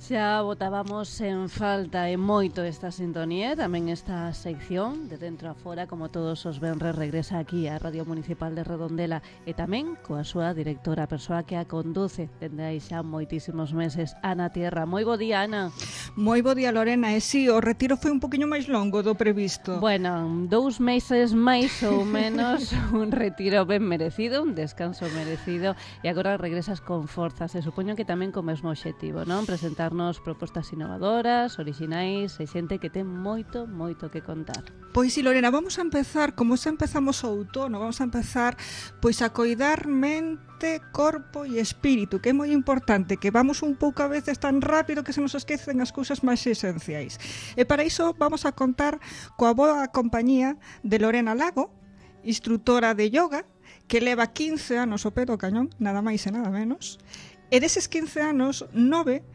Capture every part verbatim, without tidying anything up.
Xa botábamos en falta e moito esta sintonía, tamén esta sección de Dentro a Fora, como todos os venres, regresa aquí á Radio Municipal de Redondela e tamén coa súa directora, a persoa que a conduce dende aí xa moitísimos meses, Ana Tierra. Moi bo día, Ana. Moi bo día, Lorena, e si, o retiro foi un poquinho máis longo do previsto. Bueno, dous meses máis ou menos, un retiro ben merecido, un descanso merecido, e agora regresas con forzas, e supoño que tamén co mesmo obxectivo, non? Presentar nos propostas innovadoras, orixinais e xente que ten moito, moito que contar. Pois si, Lorena, vamos a empezar, como xa empezamos o outono, vamos a empezar pois a coidar mente, corpo e espírito, que é moi importante, que vamos un pouco a veces tan rápido que se nos esquecen as cousas máis esenciais. E para iso vamos a contar coa boa compañía de Lorena Lago, instructora de yoga, que leva quince anos ao pé do cañón, nada máis e nada menos, e deses quince anos, nove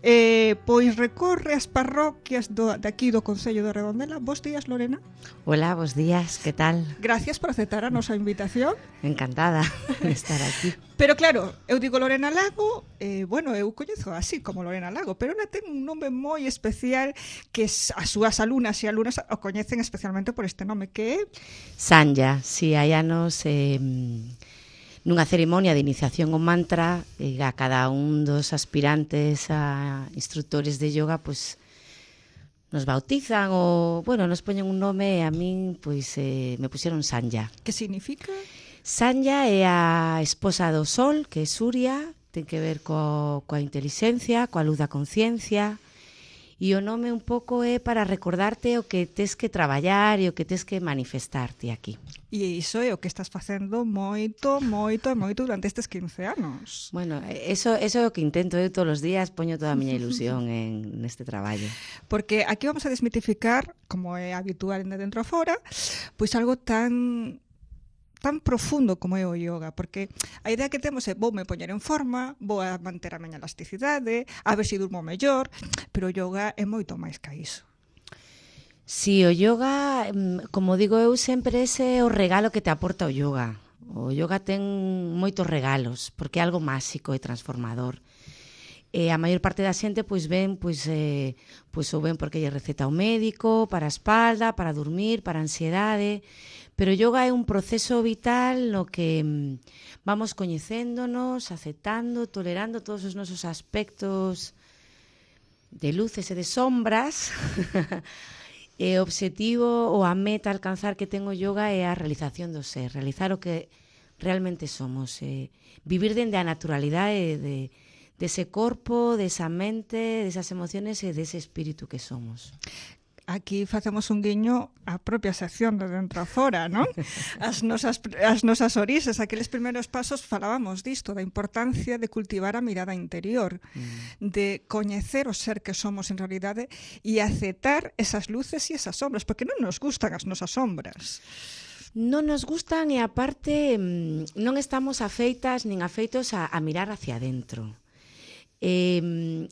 Eh, pois recorre as parroquias do, de aquí do Concello de Redondela. Bos días, Lorena. Hola, bos días, que tal? Gracias por aceptar a nosa invitación. Encantada de estar aquí. Pero claro, eu digo Lorena Lago, eh, bueno, eu coñezo así como Lorena Lago, pero ela ten un nome moi especial que as súas alumnas e alumnas o coñecen especialmente por este nome, que é Sanya. Si, hai anos eh, nunha cerimonia de iniciación ao mantra, eh, a cada un dos aspirantes a instructores de yoga, pois nos bautizan ou, bueno, nos poñen un nome e a min, pois, eh, me puxeron Sanya. Que significa? Sanya é a esposa do sol, que é Surya, ten que ver co, coa inteligencia, coa luz da conciencia, e o nome un pouco é para recordarte o que tes que traballar e o que tes que manifestarte aquí. E iso é o que estás facendo moito, moito e moito durante estes quince anos. Bueno, eso, eso é o que intento eu todos os días, poño toda a miña ilusión en neste traballo. Porque aquí vamos a desmitificar, como é habitual en Dentro a Fora, pois algo tan tan profundo como é o yoga, porque a idea que temos é vou me poñer en forma, vou a manter a miña elasticidade, a ver se durmo mellor, pero o yoga é moito máis que iso. Si, o yoga, como digo eu sempre, ese é o regalo que te aporta o yoga. O yoga ten moitos regalos, porque é algo máxico e transformador. E a maior parte da xente pois ven, pois, eh, pois ou ven porque lle receta o médico, para a espalda, para dormir, para a ansiedade, pero o yoga é un proceso vital no que vamos coñecéndonos, aceptando, tolerando todos os nosos aspectos de luces e de sombras. E o obxectivo ou a meta a alcanzar que ten o yoga é a realización do ser, realizar o que realmente somos, eh, vivir dende a naturalidade de dese corpo, desa mente, desas emociones e dese espírito que somos. Aquí facemos un guiño á propia sección de Dentro a Fora, non? As nosas, as nosas orixes, aqueles primeiros pasos falábamos disto, da importancia de cultivar a mirada interior, mm. de coñecer o ser que somos en realidade e aceptar esas luces e esas sombras, porque non nos gustan as nosas sombras. Non nos gustan e aparte non estamos afeitas nin afeitos a, a mirar hacia adentro. E,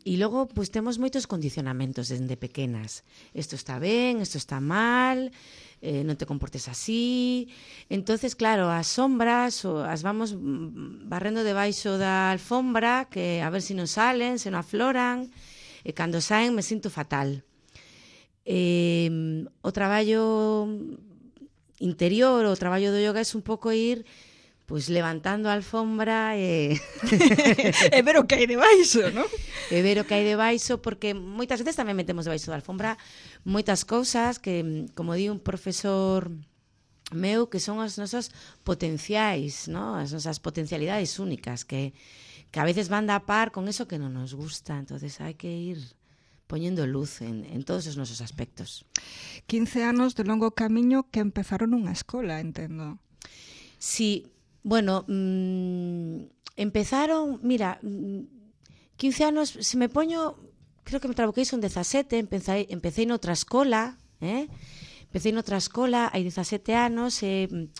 e logo pois temos moitos condicionamentos desde pequenas. Isto está ben, isto está mal, eh, non te comportes así. Entonces, claro, as sombras o, as vamos barrendo debaixo da alfombra, que a ver se non salen, se non afloran, e cando saen me sinto fatal. E, o traballo interior, o traballo do yoga é un pouco ir pois levantando a alfombra e e ver o que hai debaixo, non? E ver o que hai debaixo, porque moitas veces tamén metemos debaixo da alfombra moitas cousas que, como di un profesor meu, que son as nosas potenciais, ¿no? As nosas potencialidades únicas, que, que a veces van da par con eso que non nos gusta, entonces hai que ir poñendo luz en, en todos os nosos aspectos. quince anos de longo camiño que empezaron nunha escola, entendo. Sí. Bueno, mmm, empezaron, mira, quince anos, se me poño, creo que me trabuquei son dezasete, empecé, empecé noutra escola, eh? empecé noutra escola, hai dezasete anos, e eh,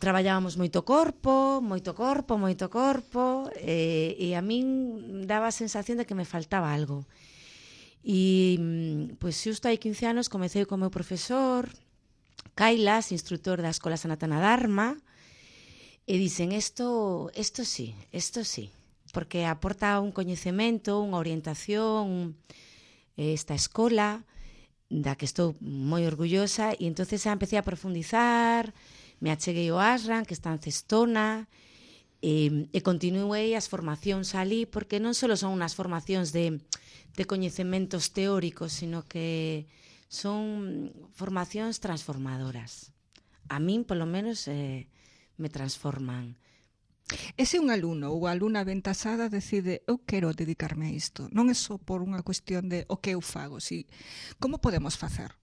traballábamos moito corpo, moito corpo, moito corpo, e, e a min daba a sensación de que me faltaba algo. E, pois, xusto hai quince anos, comecei co meu profesor, Kailas, instructor da Escola Sanatana Dharma, e dicen, esto, esto sí, esto sí. porque aporta un coñecemento, unha orientación, esta escola, da que estou moi orgullosa, e entonces xa empecé a profundizar, me acheguei ao ASRAN, que está en Cestona, e, e continuei as formacións ali, porque non só son unhas formacións de, de coñecementos teóricos, sino que son formacións transformadoras. A min, polo menos, eh, me transforman. E se un alumno ou alumna aventasada decide eu quero dedicarme a isto, non é só por unha cuestión de o que eu fago, si, como podemos facer?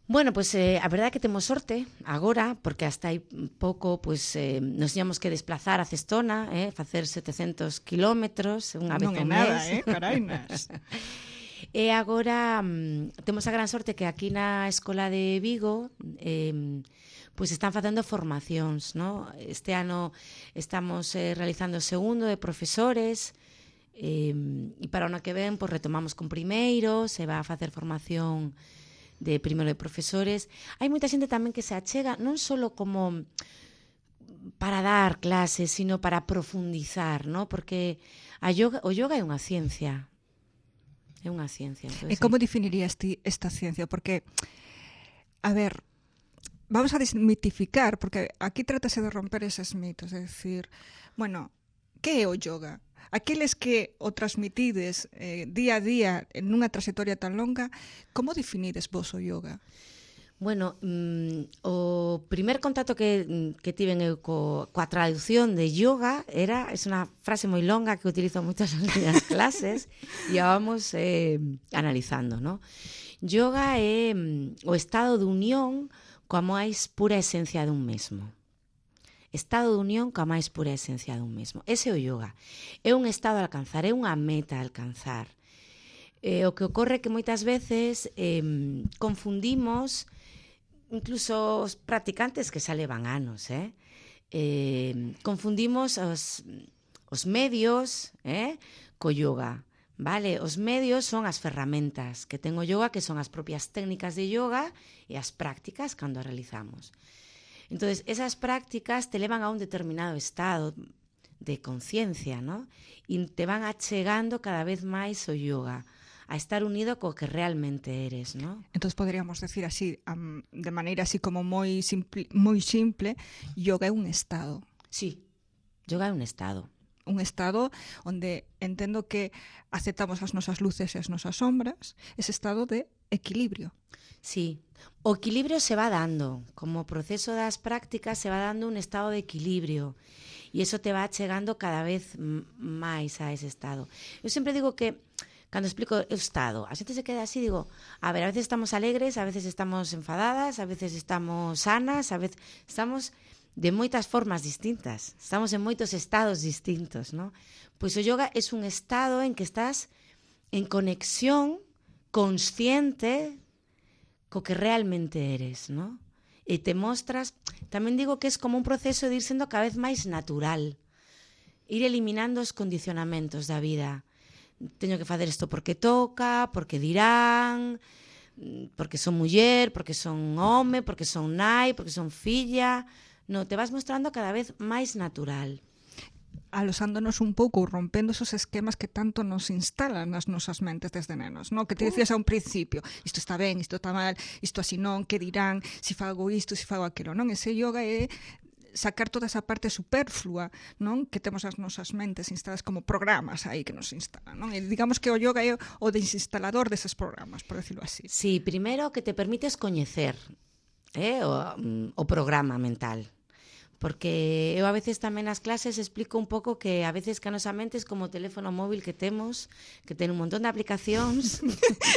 Bueno, pois pues, eh, a verdade é que temos sorte agora, porque hasta hai pouco pues, eh, nos íamos que desplazar a Cestona, eh, facer setecentos kilómetros unha vez ao mes. Non é nada, eh, carainas. E agora mm, temos a gran sorte que aquí na Escola de Vigo eh, pois están facendo formacións, ¿no? Este ano estamos eh, realizando o segundo de profesores, eh, e para o ano que ven pois retomamos con primeiro, se va a facer formación de primeiro de profesores. Hai moita xente tamén que se achega non só como para dar clases, sino para profundizar, ¿no? Porque a yoga, o yoga é unha ciencia. É unha ciencia. Entonces, e como definirías ti esta ciencia? Porque, a ver, vamos a desmitificar, porque aquí trátase de romper eses mitos, é dicir, bueno, que é o yoga? Aqueles que o transmitides eh, día a día en unha trayectoria tan longa, como definides vos o yoga? Bueno, mm, o primer contacto que, que tiven eu co, coa traducción de yoga era, é unha frase moi longa que utilizo moitas nas minhas clases e a vamos eh, analizando, ¿no? Yoga é mm, o estado de unión coa máis pura esencia dun mesmo. Estado de unión coa máis pura esencia dun mesmo. Ese é o yoga. É un estado a alcanzar, é unha meta a alcanzar. Eh, o que ocorre é que moitas veces eh, confundimos incluso os practicantes que xa levan anos, eh? Eh, confundimos os, os medios eh, co yoga, vale? Os medios son as ferramentas que ten o yoga, que son as propias técnicas de yoga e as prácticas cando as realizamos. Entonces, esas prácticas te levan a un determinado estado de conciencia, ¿no? E te van achegando cada vez máis o yoga, a estar unido co que realmente eres, ¿no? Entonces poderíamos decir así, um, de maneira así como moi simple, moi simple, yoga é un estado. Sí, yoga é un estado. Un estado onde entendo que aceptamos as nosas luces e as nosas sombras, ese estado de equilibrio. Sí, o equilibrio se va dando, como proceso das prácticas se va dando un estado de equilibrio e iso te va chegando cada vez máis a ese estado. Eu sempre digo que cando explico o estado, a xente se queda así, digo, a ver, a veces estamos alegres, a veces estamos enfadadas, a veces estamos sanas, a veces estamos de moitas formas distintas, estamos en moitos estados distintos, ¿no? Pois o yoga é un estado en que estás en conexión consciente co que realmente eres, ¿no? E te mostras, tamén digo que é como un proceso de ir sendo cada vez máis natural, ir eliminando os condicionamentos da vida. Teño que facer isto porque toca, porque dirán, porque son muller, porque son home, porque son nai, porque son filla. No, te vas mostrando cada vez máis natural. Alosándonos un pouco, rompendo esos esquemas que tanto nos instalan nas nosas mentes desde nenos, no? Que te decías a un principio, isto está ben, isto está mal, isto así non, que dirán, si fago isto, si fago aquilo, non? Ese yoga é sacar toda esa parte superflua, non? Que temos as nosas mentes instaladas como programas aí que nos instalan, non? E digamos que o yoga é o desinstalador deses programas, por decirlo así. Sí, primeiro que te permites coñecer eh, o, o programa mental. Porque eu a veces tamén nas clases explico un pouco que a veces que a nosa mente é como o teléfono móvil que temos, que ten un montón de aplicacións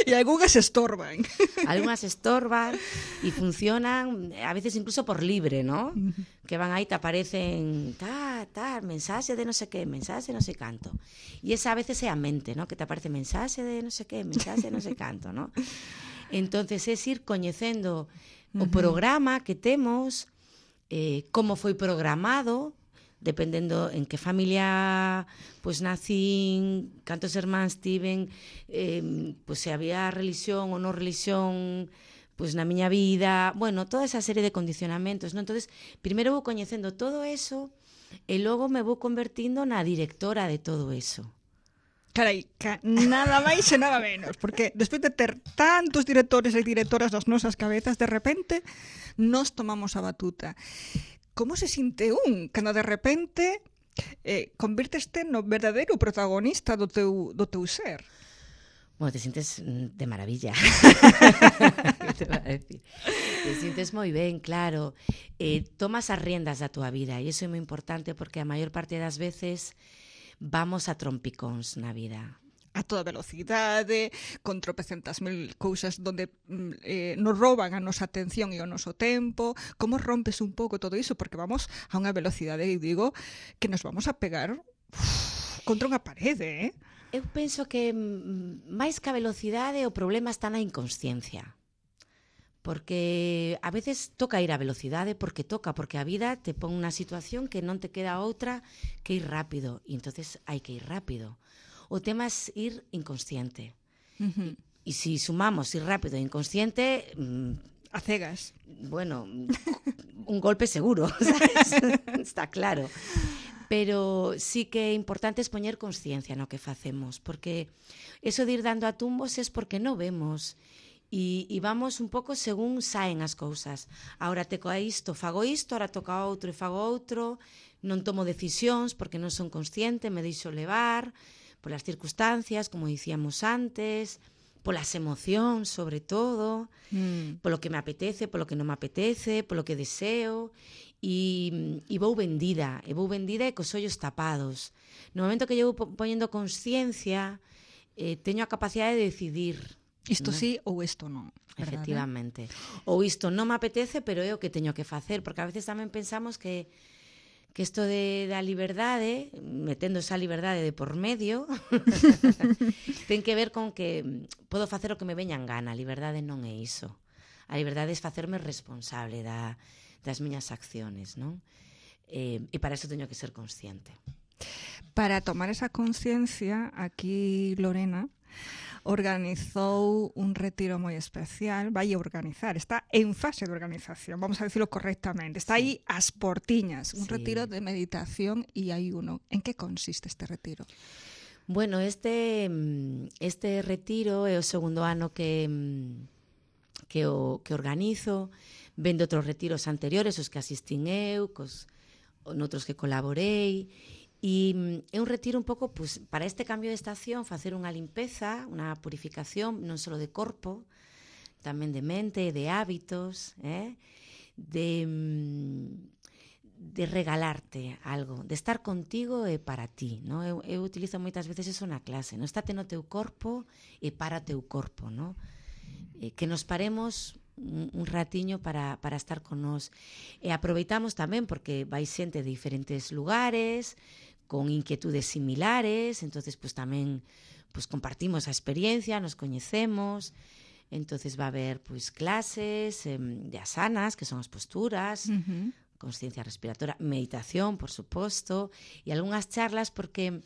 e algunhas estorban. Algunhas estorban e funcionan a veces incluso por libre, ¿no? Uh-huh. Que van aí, te aparecen ta, ta, mensaxe de non sei que, mensaxe de non sei canto. E esa a veces é a mente, ¿no? Que te aparece mensaxe de non sei que, mensaxe de non sei canto, ¿no? Entonces é ir coñecendo uh-huh. o programa que temos, Eh, como foi programado, dependendo en que familia pues nacín, cantos irmáns tiven, eh, pues se había religión ou non religión pues na miña vida, bueno, toda esa serie de condicionamentos, ¿no? Entonces, primeiro vou coñecendo todo eso E logo me vou convertindo na directora de todo eso. Carai, ca nada máis e nada menos, porque despois de ter tantos directores e directoras nas nosas cabezas, de repente nos tomamos a batuta. Como se sinte un cando de repente eh, convirteste no verdadeiro protagonista do teu, do teu ser? Bueno, te sientes de maravilla. te va a decir? Te sientes moi ben, claro. Eh, tomas as riendas da túa vida e iso é moi importante porque a maior parte das veces vamos a trompicóns na vida. A toda velocidade, con tropecentas mil cousas donde eh, nos rouban a nosa atención e o noso tempo. Como rompes un pouco todo iso? Porque vamos a unha velocidade, e digo, que nos vamos a pegar uf, contra unha parede, eh? Eu penso que máis que a velocidade o problema está na inconsciencia. Porque a veces toca ir a velocidade porque toca, porque a vida te pon unha situación que non te queda outra que ir rápido, e entonces hai que ir rápido. O tema é ir inconsciente. Uh-huh. E, e si sumamos ir rápido e inconsciente... Mmm, a cegas. Bueno, un golpe seguro, ¿sabes? Está claro. Pero sí que é importante es poñer consciencia no que facemos, porque eso de ir dando a tumbos es porque non vemos e, e vamos un pouco según saen as cousas. Ahora teco a isto, fago isto, ahora toca a outro e fago outro, non tomo decisións porque non son consciente, me deixo levar polas circunstancias, como dicíamos antes, polas emocións, sobre todo, mm. polo que me apetece, polo que non me apetece, polo que deseo, e, e vou vendida, e vou vendida e cos ollos tapados. No momento que eu vou poñendo consciencia, eh, teño a capacidade de decidir. Isto ¿no? sí ou isto non. Efectivamente. Ou isto non me apetece, pero é o que teño que facer, porque a veces tamén pensamos que que isto de, da liberdade, metendo esa liberdade de por medio, ten que ver con que podo facer o que me veña en gana. A liberdade non é iso. A liberdade é facerme responsable da, das miñas acciones, non? Eh, e para iso teño que ser consciente. Para tomar esa conciencia, aquí Lorena organizou un retiro moi especial, vai a organizar, está en fase de organización, vamos a decirlo correctamente, está aí as portiñas, un sí. retiro de meditación e ayuno. En que consiste este retiro? Bueno, este este retiro é o segundo ano que que o que organizo, vendo outros retiros anteriores, os que asistín eu, cos noutros que colaborei. E é un retiro un pouco, pues, para este cambio de estación, facer unha limpeza, unha purificación, non só de corpo, tamén de mente, de hábitos, eh? de, de regalarte algo, de estar contigo e para ti. No? Eu, eu utilizo moitas veces eso na clase, no? Estate no teu corpo e para teu corpo, no? Eh, que nos paremos un, un ratiño para, para estar con nós. E aproveitamos tamén porque vai xente de diferentes lugares, con inquietudes similares, entonces pues tamén pues compartimos a experiencia, nos coñecemos, entonces va a haber pues clases eh, de asanas, que son as posturas, uh-huh. consciencia respiratoria, meditación, por suposto, e algunhas charlas porque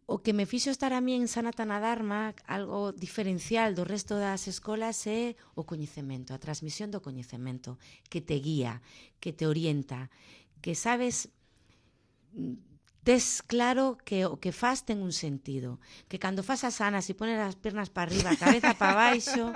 o que me fixo estar a mí en Sanatana Dharma, algo diferencial do resto das escolas, é o coñecemento, a transmisión do coñecemento, que te guía, que te orienta, que sabes, tes claro que o que faz ten un sentido, que cando fas asanas e pones as pernas para arriba, a cabeza para baixo,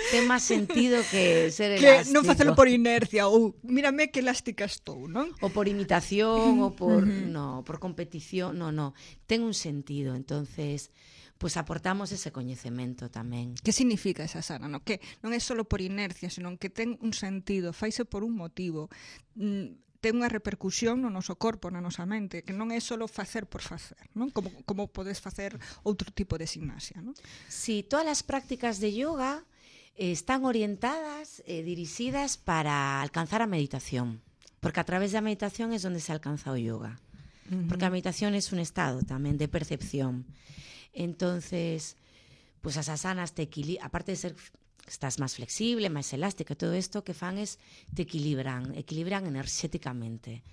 ten máis sentido que ser que elástico. Non facelo por inercia ou mírame que elástica estou, non? Ou por imitación, ou por no, por competición, no, no, ten un sentido, entonces pues aportamos ese coñecemento tamén. Que significa esa asana? No? Que non é só por inercia, senón que ten un sentido, faise por un motivo, mm, ten unha repercusión no noso corpo, na nosa mente, que non é só facer por facer, non? Como, como podes facer outro tipo de gimnasia, non? Sí, todas as prácticas de yoga eh, están orientadas e eh, dirixidas para alcanzar a meditación, porque a través da meditación é onde se alcanza o yoga, uh-huh. porque a meditación é un estado tamén de percepción. Entonces, pues as asanas te equilibran, aparte de ser estás máis flexible, máis elástica, todo isto que fan es te equilibran, equilibran enerxéticamente.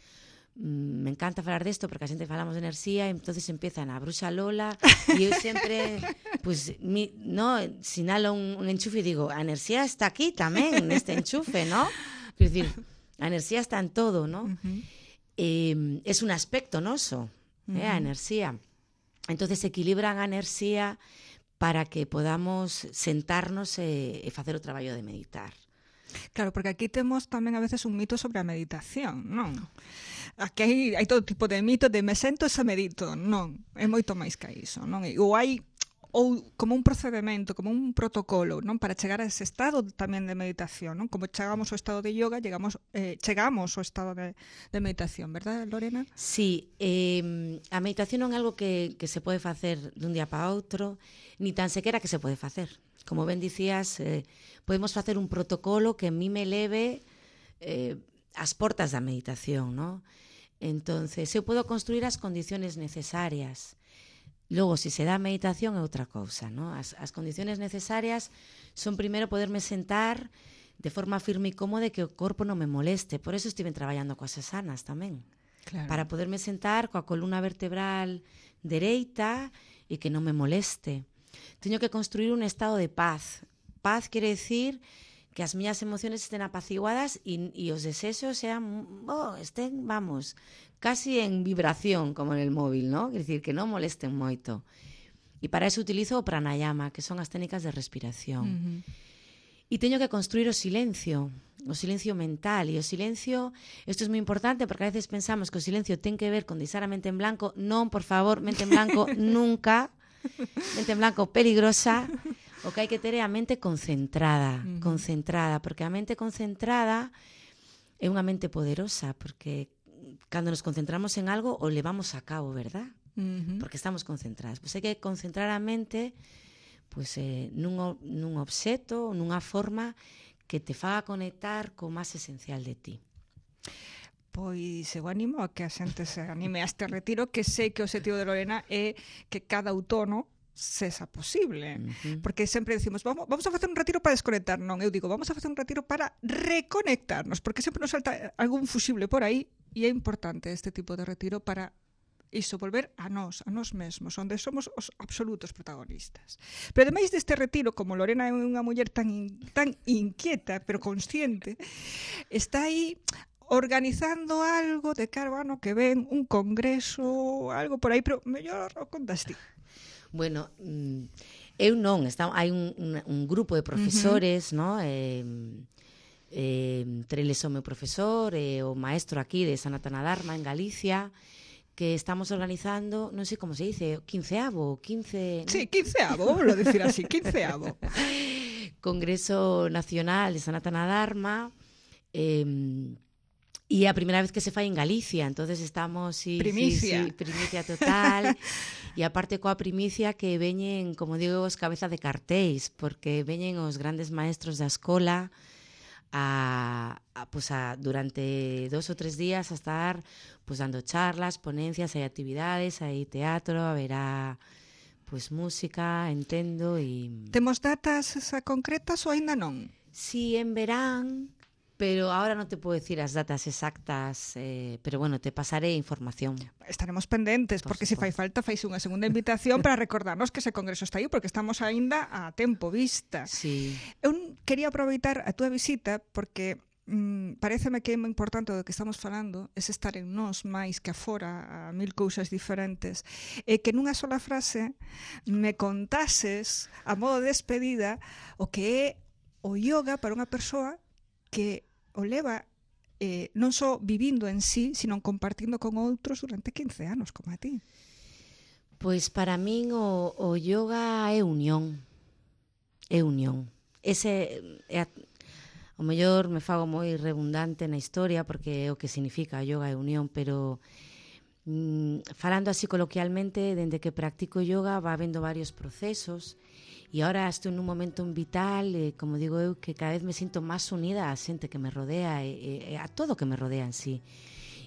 Mm, me encanta falar desto porque a xente falamos de enerxía e entonces empiezan a bruxa Lola e eu sempre pues, mi, no, sinalo un, un enchufe e digo, a enerxía está aquí tamén neste enchufe, ¿no? Quer dicir, a enerxía está en todo, ¿no? Uh-huh. eh, es un aspecto noso, uh-huh. eh, a enerxía. Entonces equilibran a enerxía para que podamos sentarnos e, e facer o traballo de meditar. Claro, porque aquí temos tamén a veces un mito sobre a meditación, non? Aquí hai, hai todo tipo de mito de me sento e se medito, non, é moito máis que iso, non? Ou hai ou como un procedimento, como un protocolo, non, para chegar a ese estado tamén de meditación, non? Como chegamos ao estado de yoga, llegamos, eh, chegamos ao estado de, de meditación, verdad, Lorena? Sí, eh, a meditación non é algo que, que se pode facer dun día para outro, ni tan sequera que se pode facer. Como ben dicías, eh, podemos facer un protocolo que a mí me leve eh, as portas da meditación, non? Entonces, eu podo construir as condiciones necesarias. Logo, se se dá a meditación é outra cousa, ¿no? As, as condiciones necesarias son primeiro poderme sentar de forma firme e cómoda e que o corpo non me moleste. Por eso estive traballando coas asanas tamén. Claro. Para poderme sentar coa columna vertebral dereita e que non me moleste. Teño que construir un estado de paz. Paz quere decir que as miñas emociones estén apaciguadas e, e os desexos sean, oh, estén, vamos, casi en vibración, como en el móvil, ¿no? Quer decir, que non molesten moito. E para eso utilizo o pranayama, que son as técnicas de respiración. Uh-huh. E teño que construir o silencio, o silencio mental. E o silencio, isto é moi importante, porque a veces pensamos que o silencio ten que ver con deixar a mente en blanco. Non, por favor, mente en blanco nunca. Mente en blanco peligrosa. O que hai que ter é a mente concentrada, uh-huh. concentrada, porque a mente concentrada é unha mente poderosa, porque cando nos concentramos en algo o levamos a cabo, verdad? Uh-huh. Porque estamos concentradas. Pois hai que concentrar a mente pois, eh, nun, nun obxeto, nunha forma que te faga conectar co máis esencial de ti. Pois eu animo a que a xente se anime a este retiro, que sei que o objetivo de Lorena é que cada outono sexa posible, uh-huh. porque sempre decimos vamos, vamos a facer un retiro para desconectar, non, eu digo vamos a facer un retiro para reconectarnos, porque sempre nos salta algún fusible por aí e é importante este tipo de retiro para iso, volver a nós, a nós mesmos, onde somos os absolutos protagonistas. Pero ademais deste retiro, como Lorena é unha muller tan, in, tan inquieta, pero consciente, está aí organizando algo de cara ao ano que ven, un congreso, algo por aí, pero mellor o contas ti. Bueno, eu non, está, hai un, un, un grupo de profesores, uh-huh. ¿no? Eh, eh, Treles o meu profesor, e eh, o maestro aquí de Sanatana Dharma en Galicia, que estamos organizando, non sei como se dice, quinceavo, quince... Sí, quinceavo, vamos a decir así, quinceavo. Congreso Nacional de Sanatana Dharma, eh, e a primeira vez que se fai en Galicia, entonces estamos... Sí, primicia. Sí, sí, primicia total. E aparte coa primicia que veñen, como digo, os cabezas de cartéis, porque veñen os grandes maestros da escola a, a, pues a durante dos ou tres días a estar pues, dando charlas, ponencias, hai actividades, hai teatro, haberá pues, música, entendo. E... Temos datas concretas ou aínda non? Sí, en verán... Pero ahora non te podo decir as datas exactas, eh, pero bueno, te pasaré información. Estaremos pendentes, por porque se si fai falta, faise unha segunda invitación para recordarnos que ese congreso está aí, porque estamos aínda a tempo vista. Sí. Eu quería aproveitar a túa visita, porque mm, pareceme que é moi importante do que estamos falando, é estar en nós máis que afora a mil cousas diferentes, e que nunha sola frase me contases, a modo de despedida, o que é o yoga para unha persoa que o leva eh, non só vivindo en sí, sino compartindo con outros durante quince anos, como a ti. Pois para min o, o yoga é unión. É unión. Ese é a, o mellor me fago moi redundante na historia porque é o que significa yoga é unión, pero mm, falando así coloquialmente, dende que practico yoga va habendo varios procesos. E agora estou nun momento vital, eh, como digo eu, que cada vez me sinto máis unida á xente que me rodea e, e a todo que me rodea en sí.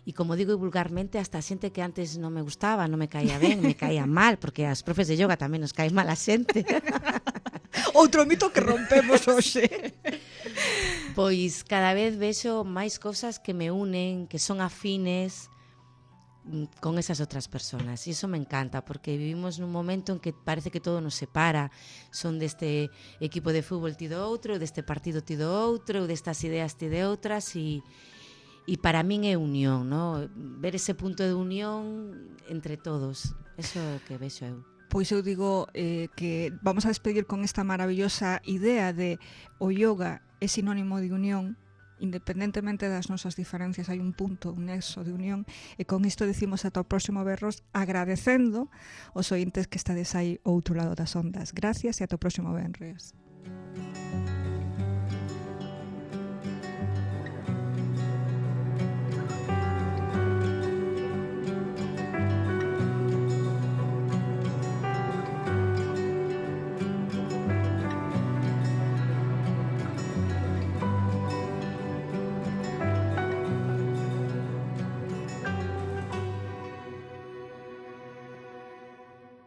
E como digo vulgarmente, hasta a xente que antes non me gustaba, non me caía ben, me caía mal, porque as profes de yoga tamén nos cae mal a xente. Outro mito que rompemos hoxe. Pois cada vez vexo máis cosas que me unen, que son afines con esas outras personas, e iso me encanta porque vivimos nun momento en que parece que todo nos separa, son deste equipo de fútbol ti do outro, deste partido ti do outro, destas ideas ti de outras, e, e para min é unión, no? Ver ese punto de unión entre todos, eso é o que vexo eu. Pois eu digo eh, que vamos a despedir con esta maravillosa idea de o yoga é sinónimo de unión, independentemente das nosas diferencias hai un punto, un nexo de unión, e con isto decimos ata o próximo berros, agradecendo os ointes que estades aí ao outro lado das ondas. Gracias e ata o próximo benres.